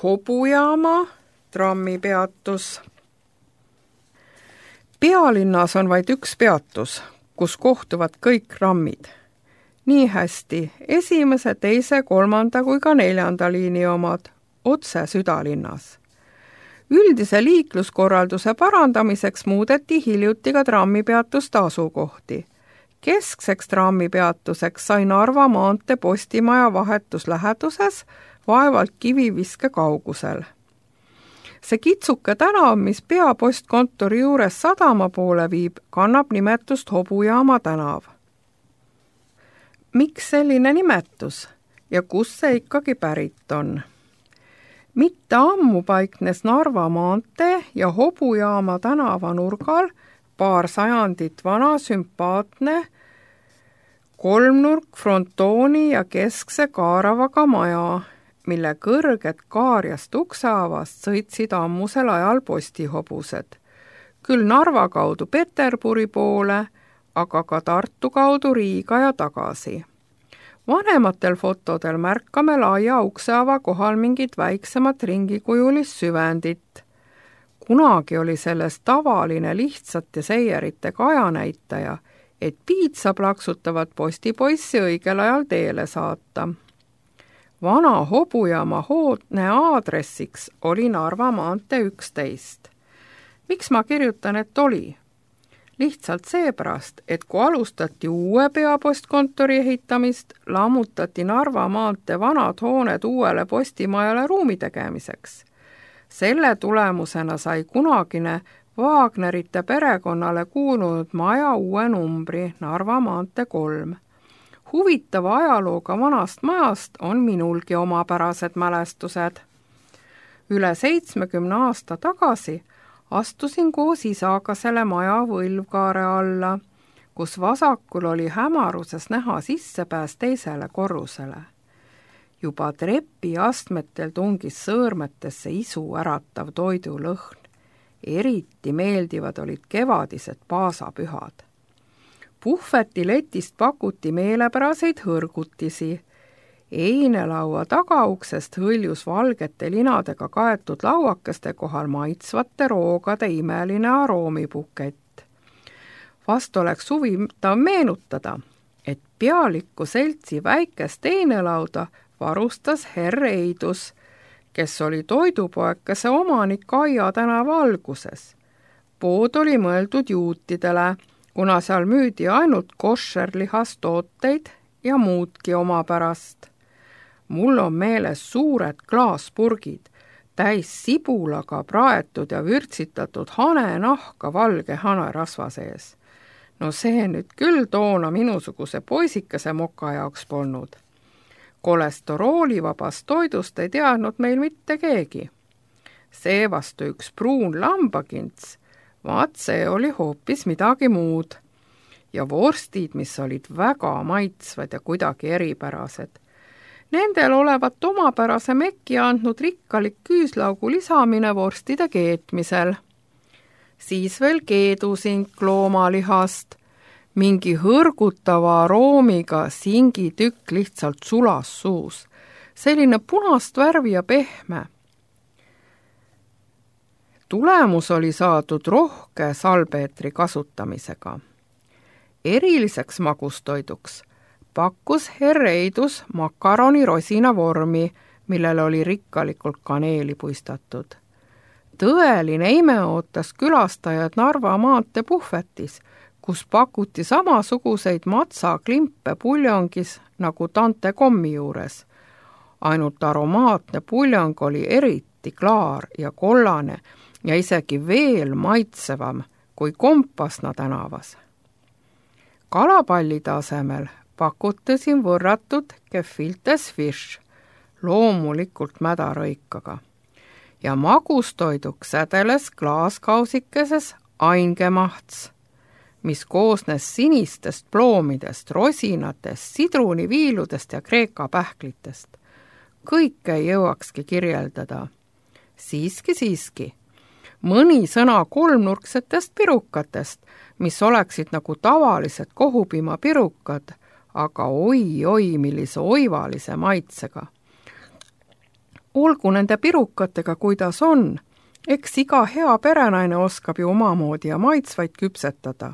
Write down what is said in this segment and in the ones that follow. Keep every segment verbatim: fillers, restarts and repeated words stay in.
Hobujaama trammipeatus. Pealinnas on vaid üks peatus, kus kohtuvad kõik trammid. Nii hästi esimese, teise, kolmanda kui ka neljanda liini omad otse südalinnas. Üldise liikluskorralduse parandamiseks muudeti hiljuti ka trammipeatuste asukohti. Keskseks trammipeatuseks sai Narva maantee Postimaja vahetus läheduses vaevalt kiviviske kaugusel. See kitsuke tänav, mis peapostkontori juures sadama poole viib, kannab nimetust Hobujaama tänav. Miks selline nimetus ja kus see ikkagi pärit on? Mitte ammu paiknes Narva maantee ja Hobujaama tänava nurgal paar sajandit vana sümpaatne kolmnurk frontooni ja keskse kaaravaga maja, mille kõrged kaarjast ukseavast sõitsid ammusel ajal postihobused. Küll Narva kaudu Peterburi poole, aga ka Tartu kaudu Riiga ja tagasi. Vanematel fotodel märkame laia ukseava kohal mingit väiksemat ringikujulist süvendit. Kunagi oli sellest tavaline lihtsat ja seierite kajanäitaja, et piitsa plaksutavat postipoissi õigel ajal teele saata. Vana Hobujaama hoodne aadressiks oli Narva maantee üksteist. Miks ma kirjutan, et oli? Lihtsalt seepärast, et kui alustati uue peapostkontori ehitamist, lammutati Narva maantee vanad hooned uuele postimajale ruumi tegemiseks. Selle tulemusena sai kunagine Wagnerite perekonnale kuulunud maja uue numbri Narva maantee kolm. Huvitava ajalooga vanast majast on minulgi omapärased mälestused. Üle seitsmekümne aasta tagasi astusin koos isaga selle maja võlvkaare alla, kus vasakul oli hämaruses näha sissepääs teisele korrusele. Juba trepi astmetel tungis sõõrmetesse isu äratav toidulõhn. Eriti meeldivad olid kevadised paasapühad. Puhvetiletist pakuti meelepäraseid hõrgutisi. Einelaua tagauksest hõljus valgete linadega kaetud lauakeste kohal maitsvate roogade imeline aroomipukett. Vast oleks huvitav meenutada, et pealiku seltsi väikest einelauda varustas herr Eidus, kes oli toidupoekese omanik Aia tänava alguses. Pood oli mõeldud juutidele, kuna seal müüdi ainult koššerlihastooteid ja muudki omapärast. Mul on meeles suured klaaspurgid, täis sibulaga praetud ja vürtsitatud hanenahka valge hanerasva sees. No see nüüd küll toona minusuguse poisikese moka jaoks polnud. Kolesteroolivabast toidust ei teadnud meil mitte keegi. Seevastu üks pruun lambakints, vaat see oli hoopis midagi muud. Ja vorstid, mis olid väga maitsvad ja kuidagi eripärased. Nendel olevat omapärase mekki andnud rikkalik küüslaugu lisamine vorstide keetmisel. Siis veel keedusink loomalihast, mingi hõrgutava aroomiga singitükk lihtsalt sulas suus. Selline punast värvi ja pehme. Tulemus oli saadud rohke salpeetri kasutamisega. Eriliseks magustoiduks pakkus herr Eidus makaroni rosina vormi, millel oli rikkalikult kaneeli puistatud. Tõeline ime ootas külastajad Narva maantee puhvetis, kus pakuti samasuguseid matsaklimpe puljongis nagu Tante kommi juures. Ainult aromaatne puljong oli eriti klaar ja kollane ja isegi veel maitsevam kui Kompasna tänavas. Kalapallide asemel pakuti siin võrratud gefiltes fish, loomulikult mädarõikaga. Ja magustoiduks sädeles klaaskausikeses aingemahts, mis koosnes sinistest ploomidest, rosinatest, sidruniviiludest ja kreeka pähklitest. Kõike ei jõuakski kirjeldada. Siiski, siiski. Mõni sõna kolmnurksetest pirukatest, mis oleksid nagu tavalised kohupiima pirukad, aga oi-oi millise oivalise maitsega. olgu nende pirukatega, kuidas on, eks iga hea perenaine oskab ju omamoodi ja maitsvaid küpsetada.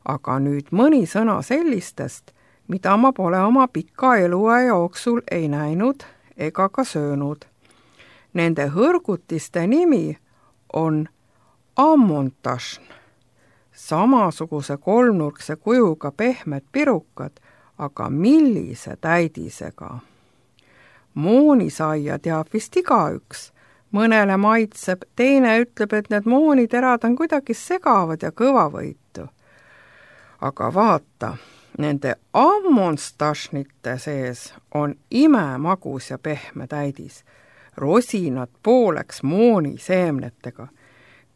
Aga nüüd mõni sõna sellistest, mida ma pole oma pika eluaja jooksul ei näinud ega ka söönud. Nende hõrgutiste nimi on ammontašn, samasuguse kolmnurkse kujuga pehmed pirukad, aga millise täidisega. Moonisaia teab vist igaüks, mõnele maitseb, teine ütleb, et need mooniterad on kuidagi segavad ja kõvavõitu. Aga vaata, nende ammonstašnite sees on imemagus ja pehme täidis, rosinad pooleks mooniseemnetega.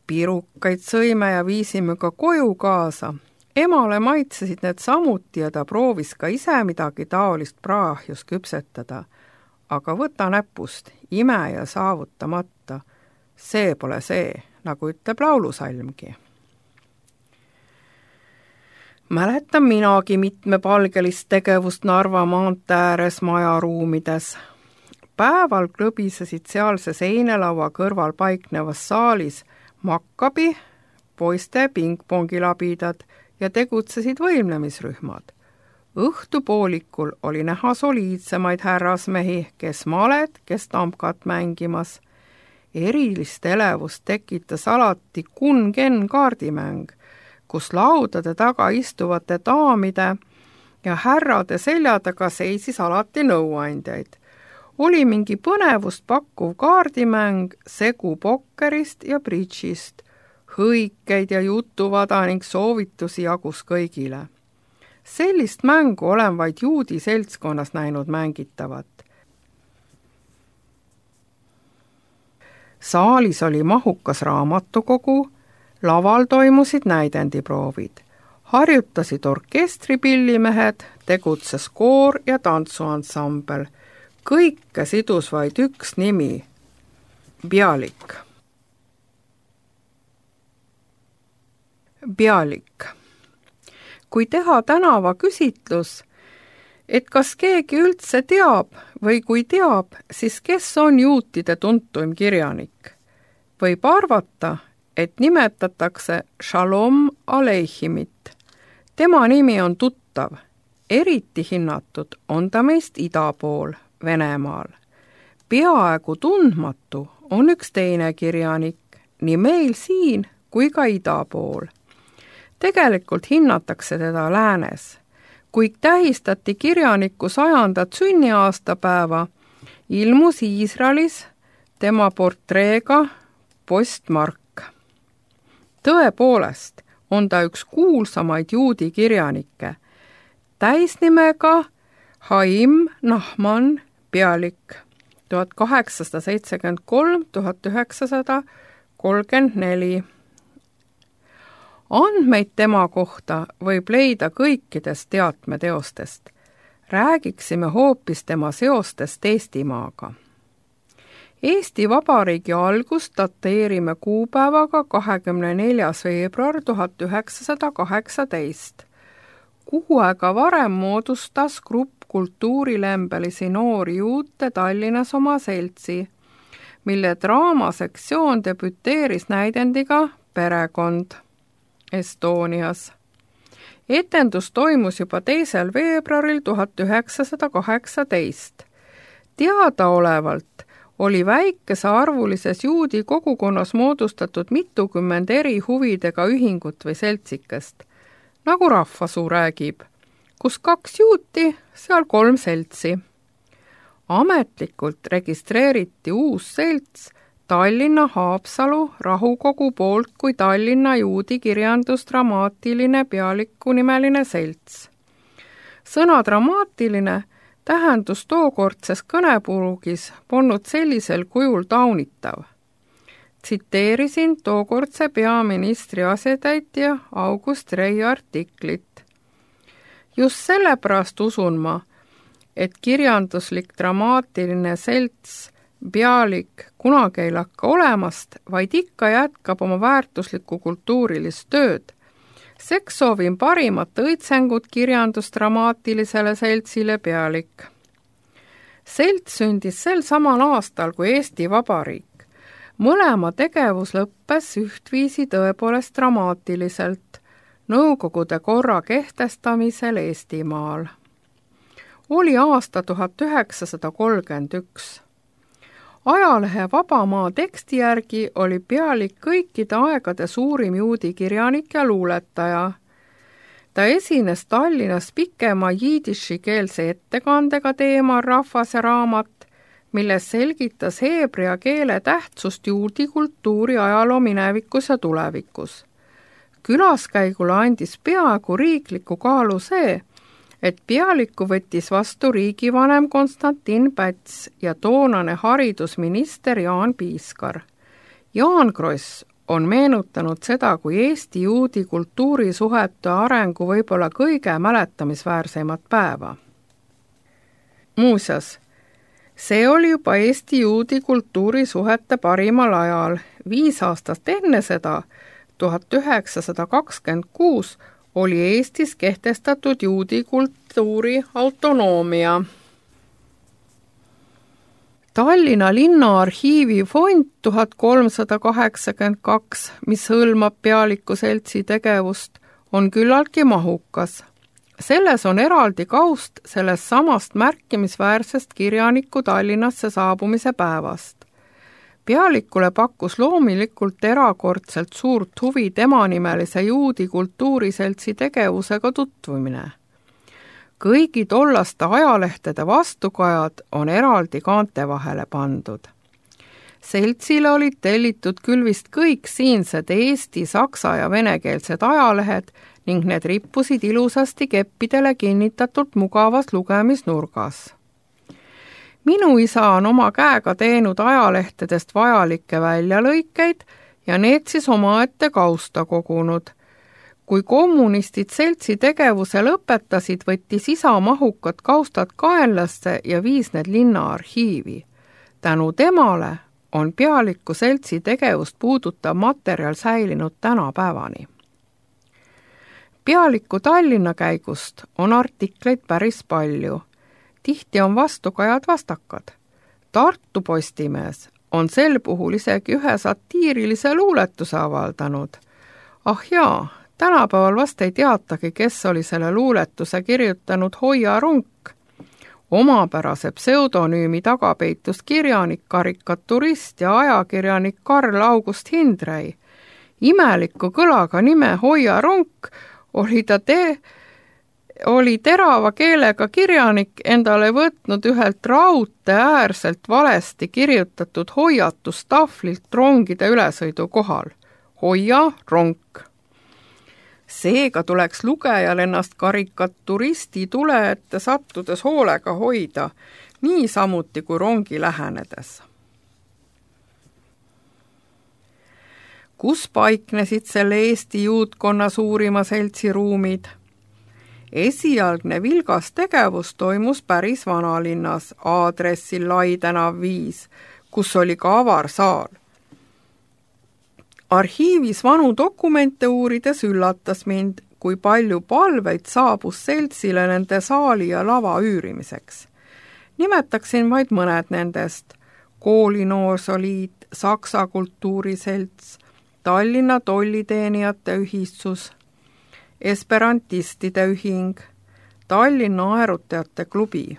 Pirukaid sõime ja viisime ka koju kaasa. Emale maitsesid need samuti ja ta proovis ka ise midagi taolist praahjus küpsetada. Aga võta näpust, ime ja saavutamata. See pole see, nagu ütleb laulusalmgi. Mäletan minagi mitmepalgelist tegevust Narva maantee ääres majaruumides. Päeval klõbisesid sealse seinelaua kõrval paiknevas saalis makkabi, poiste pingpongilabidad ja tegutsesid võimlemisrühmad. Õhtupoolikul oli näha soliidsemaid härrasmehi, kes malet, kes tamkat mängimas. Erilist elevust tekitas alati kun-ken kaardimäng, kus laudade taga istuvate daamide ja härrade selja taga seisis alati nõuandjaid. Oli mingi põnevust pakkuv kaardimäng, segu pokkerist ja bridžist, hõikeid ja jutuvada ning soovitusi jagus kõigile. Sellist mängu olen vaid juudi seltskonnas näinud mängitavat. Saalis oli mahukas raamatukogu, laval toimusid näidendiproovid. Harjutasid orkestripillimehed, tegutses koor ja tantsuansambel. Kõike sidus vaid üks nimi, Bialik. Bialik. Kui teha tänava küsitlus, et kas keegi üldse teab või kui teab, siis kes on juutide tuntuim kirjanik? Võib arvata, et nimetatakse Shalom Aleihimit. Tema nimi on tuttav, eriti hinnatud on ta meist ida pool, Venemaal. Peaaegu tundmatu on üks teine kirjanik, nii meil siin kui ka ida pool. Tegelikult hinnatakse teda läänes. Kui tähistati kirjaniku sajandat sünniaastapäeva, ilmus Iisraelis tema portreega postmark. Tõepoolest on ta üks kuulsamaid juudi kirjanikke, täisnimega Haim Nahman Bialik tuhat kaheksasada seitsekümmend kolm kuni tuhat üheksasada kolmkümmend neli. Andmeid tema kohta võib leida kõikidest teatmeteostest. Räägiksime hoopis tema seostest Eestimaaga. Eesti Vabariigi algust dateerime kuupäevaga kahekümne neljas veebruar tuhat üheksasada kaheksateist. Kuu aega varem moodustas grupp kultuurilembelisi noori juute Tallinnas oma seltsi, mille draamasektsioon debüteeris näidendiga Perekond Estonias. Etendus toimus juba teisel veebruaril tuhat üheksasada kaheksateist. Teadaolevalt oli väikesearvulises juudi kogukonnas moodustatud mitukümmend eri huvidega ühingut või seltsikest, nagu rahvasuu räägib, kus kaks juuti, seal kolm seltsi. Ametlikult registreeriti uus selts Tallinna Haapsalu rahukogu poolt kui Tallinna juudi kirjandusdramaatiline Bialiku nimeline selts. Sõna dramaatiline tähendus tookordses kõnepurugis polnud sellisel kujul taunitav. Tsiteerisin tookordse peaministri asetäitja August Rei artiklit. Just sellepärast usun ma, et kirjanduslik dramaatiline selts Bialik kunagi ei lakka olemast, vaid ikka jätkab oma väärtuslikku kultuurilist tööd. Seks soovin parimat õitsengut kirjandusdramaatilisele seltsile Bialik. Selts sündis sel samal aastal kui Eesti Vabariik. Mõlema tegevus lõppes ühtviisi tõepoolest dramaatiliselt Nõukogude korra kehtestamisel Eestimaal. Oli aasta tuhat üheksasada kolmkümmend üks. Ajalehe Vabamaa teksti järgi oli Pealik kõikide aegade suurim juudi kirjanik ja luuletaja. Ta esines Tallinnas pikema jiidishikeelse ettekandega teemal Rahvas ja raamat, milles selgitas heebrea keele tähtsust juudi kultuuri ajaloo minevikus ja tulevikus. Külaskäigule andis peaaegu riikliku kaalu see, et Pealiku võttis vastu riigivanem Konstantin Päts ja toonane haridusminister Jaan Piiskar. Jaan Kross on meenutanud seda kui Eesti juudi kultuurisuhete arengu võib-olla kõige mäletamisväärsemat päeva. Muuseas, see oli juba Eesti juudi kultuurisuhete parimal ajal. Viis aastat enne seda, tuhat üheksasada kakskümmend kuus, oli Eestis kehtestatud juudi kultuuri autonoomia. Tallinna linnaarhiivi fond tuhat kolmsada kaheksakümmend kaks, mis hõlmab Pealiku seltsi tegevust, on küllaltki mahukas. Selles on eraldi kaust sellest samast märkimisväärsest kirjaniku Tallinnasse saabumise päevast. Pealikule pakkus loomulikult erakordselt suurt huvi temanimelise juudi kultuuriseltsi tegevusega tutvumine. Kõigi tollaste ajalehtede vastukajad on eraldi kaante vahele pandud. Seltsile olid tellitud küll vist kõik siinsed eesti, saksa ja venekeelsed ajalehed ning need rippusid ilusasti keppidele kinnitatult mugavas lugemisnurgas. Minu isa on oma käega teinud ajalehtedest vajalikke väljalõikeid ja need siis omaette kausta kogunud. Kui kommunistid seltsi tegevuse lõpetasid, võttis isa mahukad kaustad kaenlasse ja viis need linnaarhiivi. Tänu temale on Pealiku seltsi tegevust puudutav materjal säilinud tänapäevani. Pealiku Tallinna käigust on artikleid päris palju. Tihti on vastukajad vastakad. Tartu Postimees on sel puhul isegi ühe satiirilise luuletuse avaldanud. Ah jaa, tänapäeval vast ei teatagi, kes oli selle luuletuse kirjutanud Hoia Runk. Omapärase pseudonüümi taga peitus kirjanik, karikaturist ja ajakirjanik Karl August Hindrei. Imeliku kõlaga nime Hoia Runk oli ta tee oli terava keelega kirjanik endale võtnud ühelt raudtee äärselt valesti kirjutatud hoiatustahvlilt rongide ülesõidu kohal. Hoia ronk. Seega tuleks lugejal ennast karikaturisti tule ette sattudes hoolega hoida, nii samuti kui rongi lähenedes. Kus paiknesid selle Eesti juudkonna suurima seltsi ruumid? Esialgne vilgas tegevus toimus päris vanalinnas, aadressil Lai tänav viis, kus oli ka avarsaal. Arhiivis vanu dokumente uurides üllatas mind, kui palju palveid saabus seltsile nende saali ja lava üürimiseks. Nimetaksin vaid mõned nendest: Koolinoorsoliit, Saksa kultuuriselts, Tallinna tolliteenijate ühistus, Esperantistide ühing, Tallinna aerutajate klubi.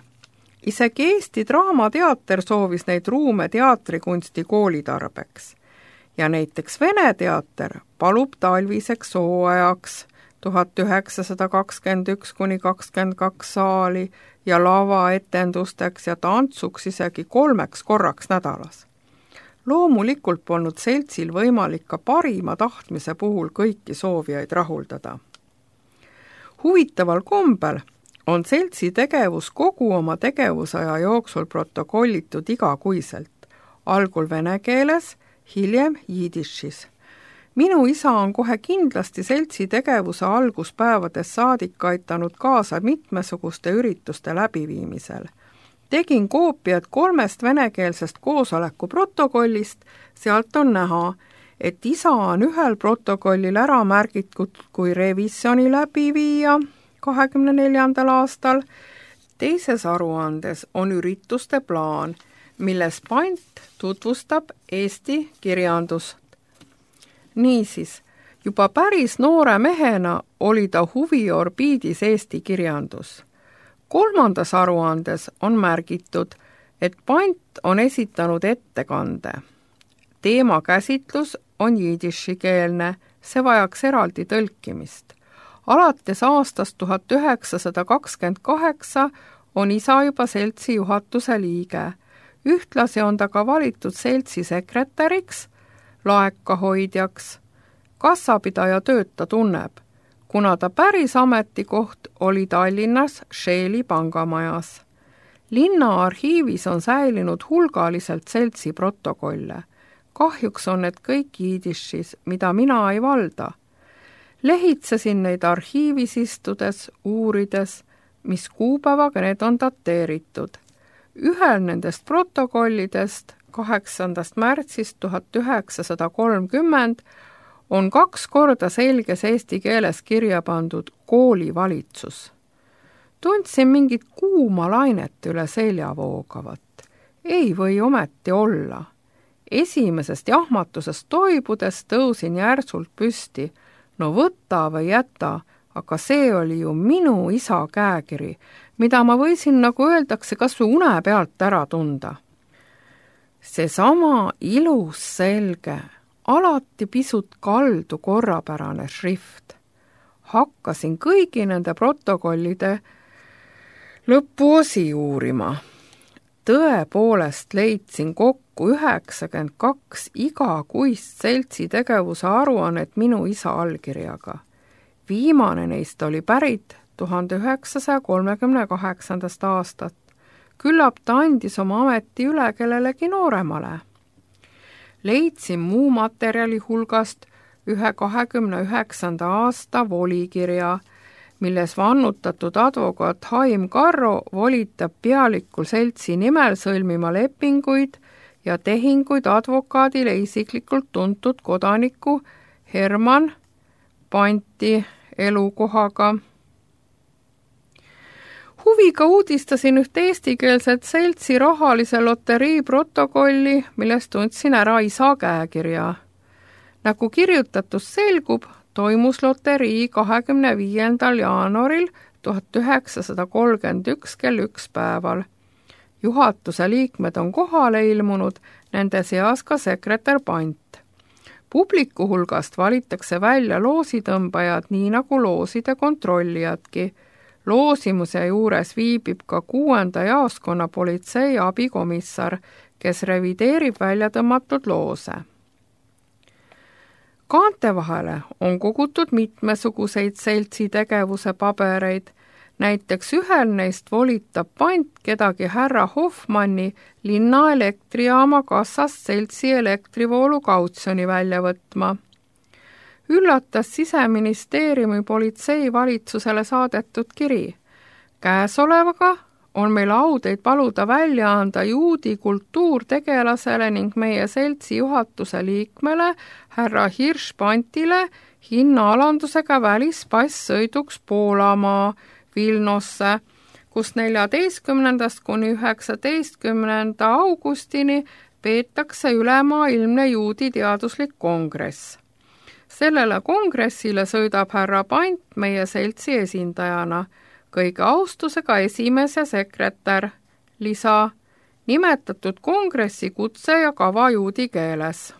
Isegi Eesti Draamateater soovis neid ruume teatrikunsti koolitarbeks. Ja näiteks Vene teater palub talviseks hooajaks tuhat üheksasada kakskümmend üks kuni kakskümmend kaks saali ja lavaetendusteks ja tantsuks isegi kolmeks korraks nädalas. Loomulikult polnud seltsil võimalik ka parima tahtmise puhul kõiki soovijaid rahuldada. Huvitaval kombel on seltsi tegevus kogu oma tegevusaja jooksul protokollitud igakuiselt, algul vene keeles, hiljem jiidishis. Minu isa on kohe kindlasti seltsi tegevuse alguspäevades saadik aitanud kaasa mitmesuguste ürituste läbiviimisel. Tegin koopiad kolmest venekeelsest koosoleku protokollist, sealt on näha, et isa on ühel protokollil ära märgitud kui revisjoni läbiviija kahekümne neljandal aastal, teises aruandes on ürituste plaan, milles Pant tutvustab Eesti kirjandust. Niisiis, juba päris noore mehena oli ta huviorbiidis Eesti kirjandus. Kolmandas aruandes on märgitud, et Pant on esitanud ettekande. Teema käsitlus on jiidishikeelne, see vajaks eraldi tõlkimist. Alates aastast tuhat üheksasada kakskümmend kaheksa on isa juba seltsi juhatuse liige. Ühtlasi on ta ka valitud seltsi sekretäriks, laekahoidjaks. Kassapidaja tööd ta tunneb, kuna ta päris ametikoht oli Tallinnas Scheeli pangamajas. Linna arhiivis on säilinud hulgaliselt seltsi protokolle. Kahjuks on need kõik jiidishis, mida mina ei valda. Lehitsesin neid arhiivis istudes, uurides, mis kuupäevaga need on dateeritud. Ühel nendest protokollidest kaheksandast märtsist tuhat üheksasada kolmkümmend on kaks korda selges eesti keeles kirja pandud koolivalitsus. Tundsin mingit kuuma lainet üle selja voogavat. Ei või ometi olla. Esimesest jahmatusest toibudes tõusin järsult püsti. No võta või jäta, aga see oli ju minu isa käekiri, mida ma võisin, nagu öeldakse, kas või une pealt ära tunda. Seesama ilus selge, alati pisut kaldu korrapärane šrift. Hakkasin kõigi nende protokollide lõpuosi uurima. Tõepoolest leidsin kokku üheksakümmend kaks igakuist seltsi tegevuse aruannet minu isa allkirjaga. Viimane neist oli pärit tuhande üheksasaja kolmekümne kaheksandast aastat. Küllap ta andis oma ameti üle kellelegi nooremale. Leidsin muu materjali hulgast ühe kahekümne üheksanda aasta volikirja, milles vannutatud advokaat Haim Karro volitab pealikul seltsi nimel sõlmima lepinguid ja tehinguid advokaadile isiklikult tuntud kodaniku Herman Panti elukohaga. Huviga uudistasin ühte eestikeelset seltsi rahalise loterii protokolli, millest tundsin ära isa käekirja. Nagu kirjutatus selgub, toimus loterii kahekümne viiendal jaanuaril tuhat üheksasada kolmkümmend üks kell üks päeval. Juhatuse liikmed on kohale ilmunud, nende seas ka sekretär Pant. Publiku hulgast valitakse välja loositõmbajad, nii nagu looside kontrollijadki. Loosimuse juures viibib ka kuuenda jaoskonna politsei abikomissar, kes revideerib välja tõmmatud loose. Kaante vahele on kogutud mitmesuguseid seltsi tegevuse pabereid, näiteks ühel neist volitab Pant kedagi härra Hoffmanni linna elektrijaama kassast seltsi elektrivoolu kautsjoni välja võtma. Üllatas Siseministeeriumi politsei valitsusele saadetud kiri. Käesolevaga on meil au teid paluda välja anda juudi kultuurtegelasele ning meie seltsi juhatuse liikmele härra Hirš Pantile hinnaalandusega välispass sõiduks Poolamaa Vilnosse, kus neljateistkümnendast kuni üheksateistkümnenda augustini peetakse ülemaailmne juudi teaduslik kongress. Sellele kongressile sõidab härra Pant meie seltsi esindajana, kõige austusega esimees ja sekretär, lisa, nimetatud kongressi kutse ja kava juudi keeles.